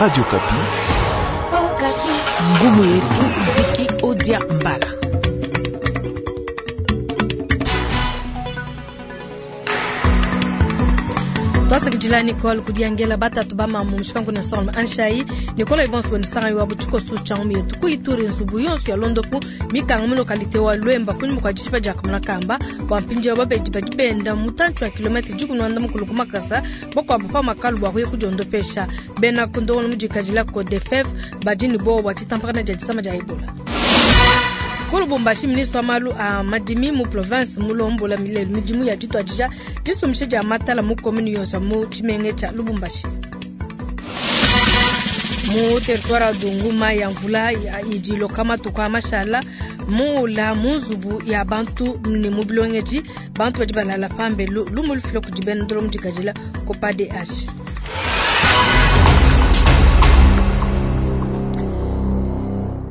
Radio Okapi. Ngumu yetu Viki Odia Mbala. Twasakidila Nicole kudiangela batatu ba mamu mushikangu na Solomon Anshai Nicole Ibonso wenu wa butshikosu tshia ngumu yetu kuituri nzubu yonso ya londopu mikanga mu lokalite wa Lwemba kunyima kua dishipa dia kamuna kamba bua mpindieu babedi badi benda mutantshi wa kilometre dikumi na mukulu ku makasa bakuabu pa makalu bua kuya kudiondopesha. Bena ku ndongolo mudikadila Codefef badi ne buowa bua ditampakana dia disama dia Ebola. Ku Lubumbashi, ministre wa malu a madimi mu province mulombola milelu midimu ya dituadija disumbisha dia matala mu commune yonso mu tshimenga tshia Lubumbashi. Mu territoire wa Dungu, mayi ya mvula idi iloka matuku a mashala muula mu nzubu ya bantu ne mu bilongedi, bantu badi balala pambelu. Lumu lufila kudi bena ndolo mudikadila Copa DH.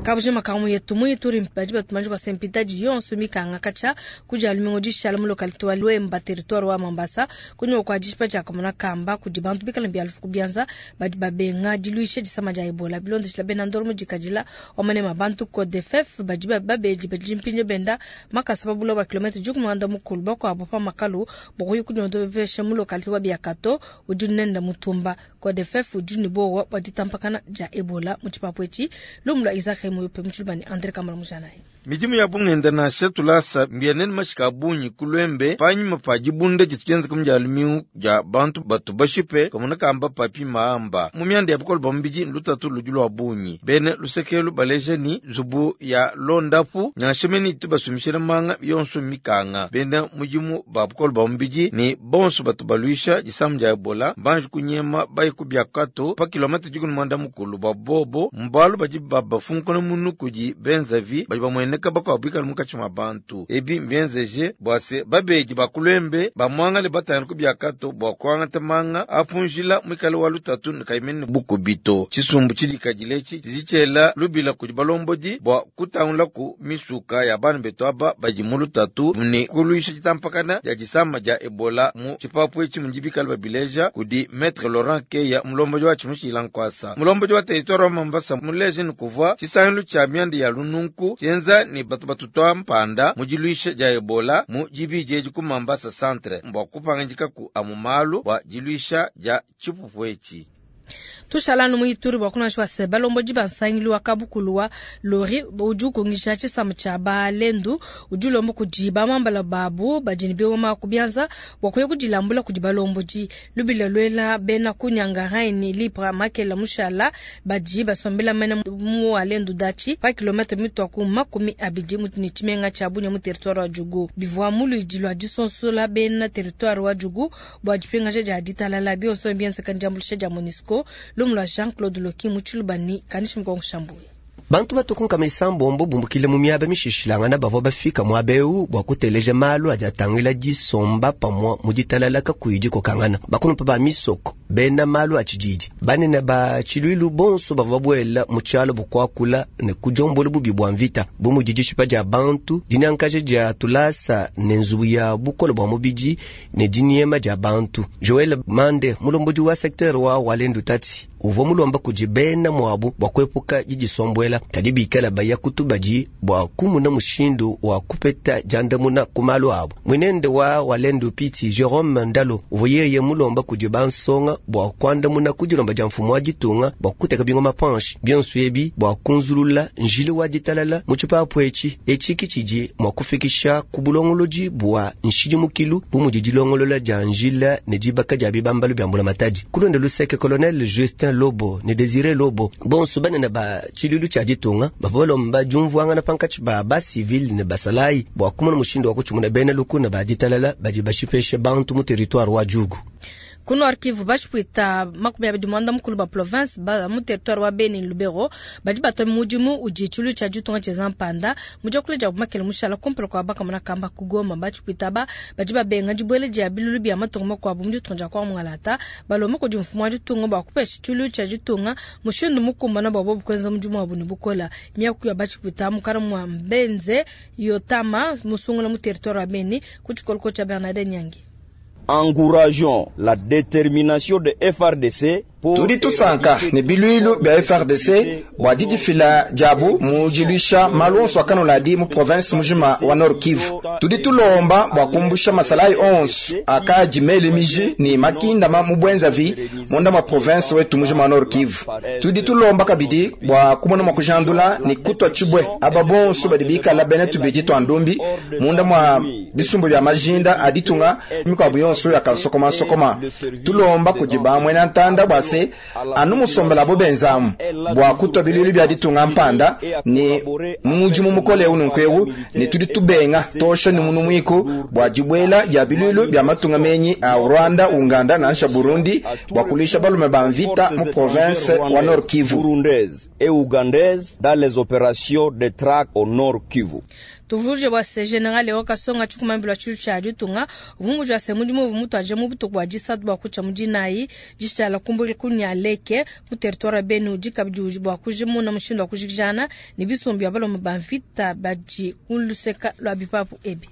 Kabujima kamu yetu mu Ituri badi batumanje kwa sempitadi yonso mikanga kacha kuja lumingo dishala mu localité wa Lwemba territoire wa Mambasa kunyuma kwa dishipa dia kamona kamba kudi bantu bikala bia lufu kubianza badi babenga diluisha disama dia Ebola bilondeshila bena ndolo mudikadila wamane mabantu Codefef badi babedi badi mpinje benda makasa babula ba kilometre jukumanda mukulu bakwabo pa makalu bokuyi kunyondovesha mu localité wa Biakato udi nenda mutumba Codefef udi ne bowa bua ditampakana dia Ebola mu tshipapu etshi. Lumu lua Isaac Muyupe mu Tshilubani, Andre Kamala Mujanayi. Midimu ya bungenda nansha tulasa mbienene mashika a bungi ku Lwembe panyima pa dibunda ditu dienzeka mu dia lumingu dia bantu batu bashipe kamona kamba papi maamba. Mu mianda ya bukole bua mubidi lutatu ludi lua bungi. Bena lusekelu baleja ni nzubu ya londapu nansha mene itu basumishila manga yonso mikanga. Bena mudimu ba bukole bua mubidi ni bonso batu baluisha disamu dia Ebola mbanji kunyema bayi ku Biakato pa kilometre dikumi mwanda mukulu bua bobo mbalu badi babafunkuna munu kudi benzavi badi bamueneka bakuabu bikala munkatshi mua bantu. Ebi mbienzeje bua se babedi ba ku Lwembe bamuangale batangile ku Biakato bua kuangata manga apunjila muikale wa lutatu ne kayimene bukubi to. Tshisumbu tshidikadile etshi tshidi tshiela lubila kudi balombodi bua kutangula ku misuka ya bana betu aba badi mu lutatu ne kuluisha ditampakana dia disama dia Ebola mu tshipapu etshi mudi bikale babileja kudi Maître Laurent Keya, mulombodi wa tshimushila nkuasa. Mulombodi wa territoire wa Mambasa muleje ne kuvua tshisangilu tshia mianda ya lununku tshienza ne batu batutua mpanda mu diluisha dia Ebola mu dibidi edi ku Mambasa centre mbua kupangidika ku amu malu bua diluisha dia tshipupu etshi. Tushala mu Ituri bua kunasha se balombodi ba nsangilu wa kabukulu wa lori udi ukungisha tshisamba tshia balendu udi ulomba kudi bamambala babu badi ne bingoma ku bianza bua kuya kudilambula kudi balombodi. Lubila luela bena kunyanga raini lipra makela mushala badi basombela mene mu alendu dachi pa kilometre mitwa ku makumi abidi mu ne tshimenga tshia Bunia mu territoire wa Djugu. Bivua mu luidi lua disonsola bena territoire wa Djugu bua dipingaja dia ditalala bionso mbienzeka ndiambuluisha dia MONUSCO. Lumu lua Jean-Claude Loki mu Tshilubani, Kanishi Mukongo Shambuyi. Bantu batukunka misambombo bumbukile mu miaba mishishilangana bavua bafika muaba eu bua kuteleja malu adi atangila disomba pamua mu ditalala kakuyi dikokangana. Bakulumpa ba misoko, bena malu a tshididi, banene ba tshiluilu bonso bavua babuela mu tshialo bukuakula ne kudiombola bubi bua mvita, bu mudi dishipa dia bantu, dinyankaja dia tulasa ne nzubu ya bukole bua mubidi ne diniema dia bantu. Joel Mande, mulombodi wa secteur wa Walendu Tati, uvua mulomba kudi bena muabu bua kuepuka didisombuela, kadi bikala baya kutubadi bua kumuna mushindu wa kupeta diandamuna ku malu abu. Mwinende wa Walendu Piti Jerome Ndalo uvua yeye mulomba kudi bansonga bua kuandamuna ku dilomba dia mfumu wa ditunga bua kuteka bingoma panshi bionso ebi bua kunzulula njila wa ditalala mu tshipapu etshi. Etshi ki tshidi mua kufikisha ku bulongolodi bua nshidimukilu bu mudi dilongolola dia njila ne dibaka dia bibambalu bia mbulamatadi. Kulonda luseke Colonel Justin Lobo ne Desire Lobo bonso banene ba tshiluilu tshia ditunga bavua balomba diumvuangana pankatshi ba ba civil ne basalayi bua kumona mushindu wa kutshimuna bena lukuna ba ditalala badi bashipeshe bantu mu territoire wa Djugu. Ku Nord Kivu bashipuita makumi abidi muanda mukulu ba province ba mu territoire wa Beni Lubero badi batwa mudimu udi tshiluilu tshia ditunga tshienza mpanda mu diakula dia bumakele mushala kumpala kua bakamona kamba ku Goma. Bashipuita ba badi babenga dibuela dia bilulu bia matunga makuabu mu ditunga dia kwa Mungalata balomba kudi mfumu wa ditunga bua kupesha tshiluilu tshia ditunga mushindu mukumbana bua bobu kuenza mudimu wabu ne bukola. Miaku ya bashipuita mukana mua Mbenze Yotama musungula mu territoire wa Beni ku tshikoloko tshia Bernardin Nyangi. Encourageons la détermination de FRDC. Tudi tusanka ne biluilu bia FARDC bua didifila diabu mu diluisha malu onso a kanuladi mu province mujima wa Nord Kivu. Tudi tulomba bua kumbusha masalayi onso akadi mele miji ne makindama mu bwenzavi munda mua province wetu mujima wa Nord Kivu. Tudi tulomba kabidi bua kumona mua kujandula ne kutua tshibue aba bonso badi bikala bena tubidi tua ndumbi munda mua bisumbu bia majinda a ditunga mikuabu yonso ya kansokoma sokoma. Tulomba kudi ba muena ntanda bua se anu musombela bo benzamu bua kutua biluilu bia ditunga mpanda ne mudimu mukole eu nunku eu ne tudi tubenga tosha ne munu muiku bua dibuela dia biluilu bia matunga menyi a Rwanda, Uganda nansha Burundi bua kuluisha balume ba mvita mu province wa Nord Kivu. Burundaise et ougandaise dans les opérations de traque au Nord Kivu. Tuvuluje bua se General Leo Kasonga tshikumambila tshilu tshia ditunga uvunguja se mudimu uvu mutuaje mu butuku bua disatu bua kutshia mu dinayi dishala kumbukila ku Nyaleke mu territoire ya Beni udi kabidi bua kujimuna mushindu wa kujikijana ne bisumbu bia balume ba mvita badi ku luseka lua bipapu ebi.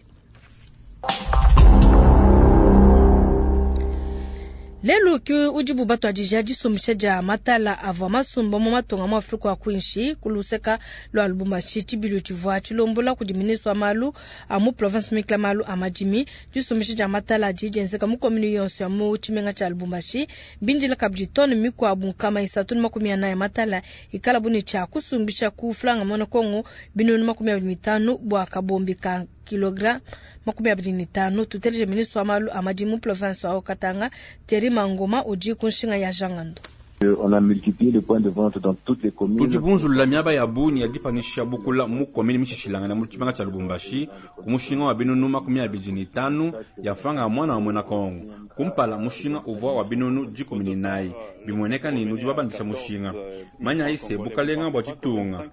Lelu ki udibu batuadija disumbisha dia matala avua masumba mu matunga mu Afrika wa kuinshi ku luseka lua Lubumbashi. Tshibilu tshivua tshilombola kudi ministre wa malu a mu province mikla malu a madimi. Disumbisha dia matala adi dienzeka mu commune yonso ya mu tshimenga tshia Lubumbashi. Bindila kabidi tone mikuabu 340 ya matala ikala bu ne tshia kusumbisha ku franga mona Kongo binunu 25 bua kabombi ka kilogramme 25. Tuteleje ministre wa malu a madimi mu province wa Katanga Thierry Mangoma udi ku nshinga ya Jangando. On a multiplié les points de vente dans toutes les communes. Tudi bunzulula miaba ya bungi ya dipanisha bukula mu commune mishishilangana mu tshimenga tshia Lubumbashi ku mushinga wa binunu 25 ya franga ya mwana wa mwena Kongo. Kumpala mushinga uvua wa binunu 14 bimueneka ni nudi babandisha mushinga. Manya ise bukalenga bua tshitunga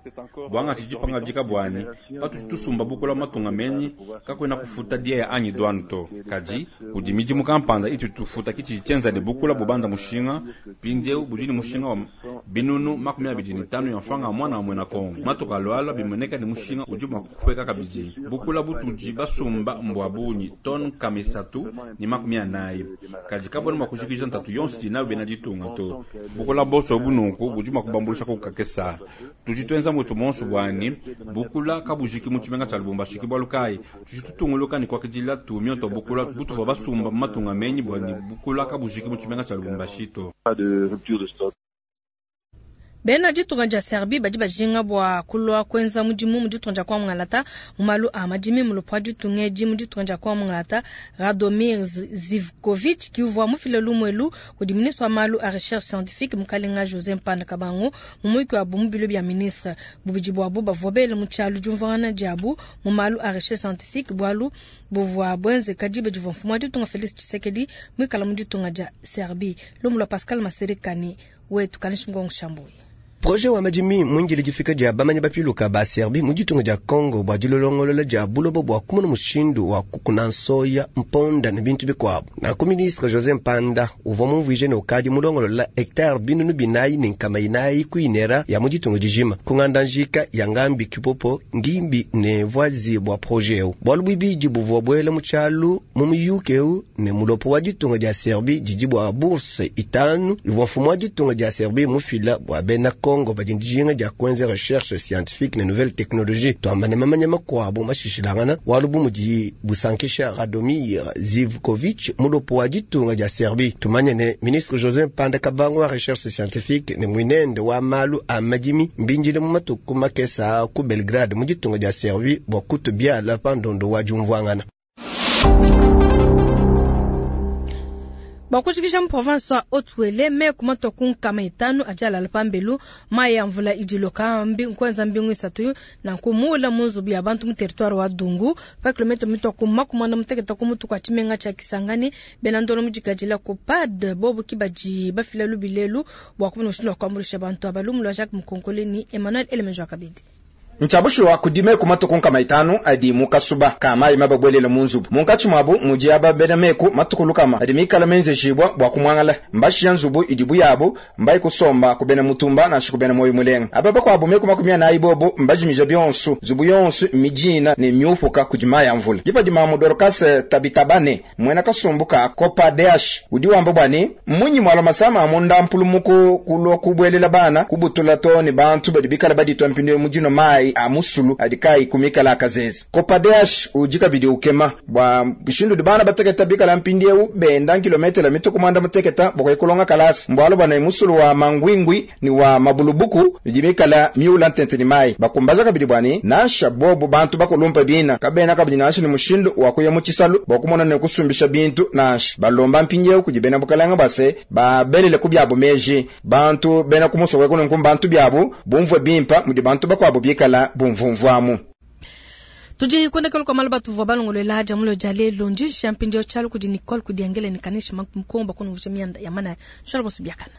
bwanga tshijipanga dika bwani patudi tusumba bukula matunga menyi kakwena kufuta dia ya anyi douane to. Kadi kudi midimu kampanda itu tufuta kichi tshenzane bukula bubanda mushinga pindiewu budi ni mushinga wa binunu 25 ya mfanga mwana wa mwena Kongo. Matuka lwala bimeneka ni mushinga udi mua kukweka kabidi bukula butudi basumba mbwa bunyi ton 340 kadi kabona mua kujikija ntatu yonso dinayo bena ditunga to. Bukula boso bununku budi mua kubambulisha kukakesa tudi twenza mutu monso bwani bukula kabujiki mu tshimenga tshia Lubumbashi ki bwalu kayi tudi tutunguluka ni kwakidila tumio to bukula butuva basumba mu matunga menyi bwani bukula kabujiki mu tshimenga tshia Lubumbashi to. Pas de rupture de stock. Bena ditunga dia Serbie badi bajinga bua kulua kuenza mudimu mu ditunga dia kwa Mungalata mu malu a madimi mu lupwa ditunga edi mu ditunga dia kwa Mungalata. Radomir Zivkovic ki uvua mufile lumuelu kudi ministre wa malu a recherche scientifique mukalenga José Mpanda Kabango mu muyuki wabu mu bilo bia ministre. Bubidi buabu bavua bele mu tshialu diumvuangana diabu mu malu a recherche scientifique bualu buvua buenzeka diba divua mfumu wa ditunga Félix Tshisekedi muikala mu ditunga dia Serbie. Lumu lua Pascal Maserikani wetu Kanishi Ngongo Shambuyi. Projet wa madimi mwingile difika dia bamanya bapiluka ba Serbie mu ditunga dia Congo bua dilolongolola dia buloba bua kumona mushindu wa kukuna nsoya mponda ne bintu bikuabu. Nanku ministre José Mpanda uvua mumvuije ne ukadi mulongolola hectare 440 kuinera ya mu ditunga dijima kunganda njika ya ngambi kipopo ngimbi ne voizi bua projet eu. Bualu buibidi buvua buela mu tshialu mu muyuki eu ne mulopo wa ditunga dia Serbie didi bua bourse 5 ivua mfumu wa ditunga dia Serbie mufila bua bena Kongo badi dijinga dia kuenza recherche scientifique ne nouvelle technologie twamba ne mamanya makuabu mashishilangana walu bu mudi busankisha Radomir Zivkovic mulopo wa ditunga dia Serbie. Tumanye ne ministre José Mpanda Kabango wa recherche scientifique ne mwinende wa malu a madimi mbinjile mu matuku makesa ku Belgrade mu ditunga dia Serbie bua kutubiala pa ndondo wa diumvuangana. Bakushikisha mu province wa Haut-Uele me kumatwa ku 500 ajalala pambelu mayi ya mvula idiloka mbi nkwenza mbingu isatu na nkumula mu nzubu ya bantu mu territoire wa Dungu pa kilomita mitwa ku 46 ku mutu kwa tshimenga tshia Kisangani bena ndolo mu dikadila ku PAD bobu kibadi bafila lubilelu bua kumona mushindu wa kuambuluisha bantu aba. Lumu lua Jacques Mukonkole ni Emmanuel Elemejo Kabidi. Ntshia bushuwa kudi meku matue ku 500 adi mu kasuba ka mayi mababuelele mu nzubu. Munkatshi muabu mudi aba bena meku matue ku 100 adi mikale menzejibua bua kumuangala. Mbashiya nzubu idibu yabu, mbaye kusomba ku bena mutumba nansha ku bena muoyo mulenga. Aba bakuabu meku 40 bobu mbajimija bionso, nzubu yonso mmidina ne mmiupuka kudi mayi a mvula. Dipa di mamu Dorcas Tabitabane, muena kasumbu ka Copadeash, udi wamba bua ne, Mmunyi mualua masama a munda mpulumuku kulua kubuelela bana, kubutula too ne bantu badi bikale baditua mpindieu mu dinua mayi a musulu adi kaayi ku mikala a kazeze? Copadeash udi kabidi ukema bua mushindu udi bana batekete bikala mpindieu benda nkilometele mitue ku muanda-mutekete bua kuya kulonga kalasa. Mbualu bua ne, musulu wa Mangwingwi ne wa Mabulubuku idi mikale miula ntente ne mayi. Bakumbaja kabidi bua ne, nansha bobu bantu bakulumpe bina, kabena kabidi nansha ne mushindu wa kuya mu tshisalu bua kumona ne kusumbisha bintu nansha. Balomba mpindieu kudi bena bukalenge bua se, babelele ku biabu meji. Bantu bena ku musoko eku nunku mbantu biabu, bumvue bimpe mudi bantu bakuabu bikale bumvumvuamu. Tudi kuendekela kua malu batuvua balongoluela dia mulo dia lelu. Ndi nshiya mpindieu tshialu kudi Nicole Kudiangele ne Kanisha Mukongo bakunuvusha mianda ya manaya. Nshala bonso biakana.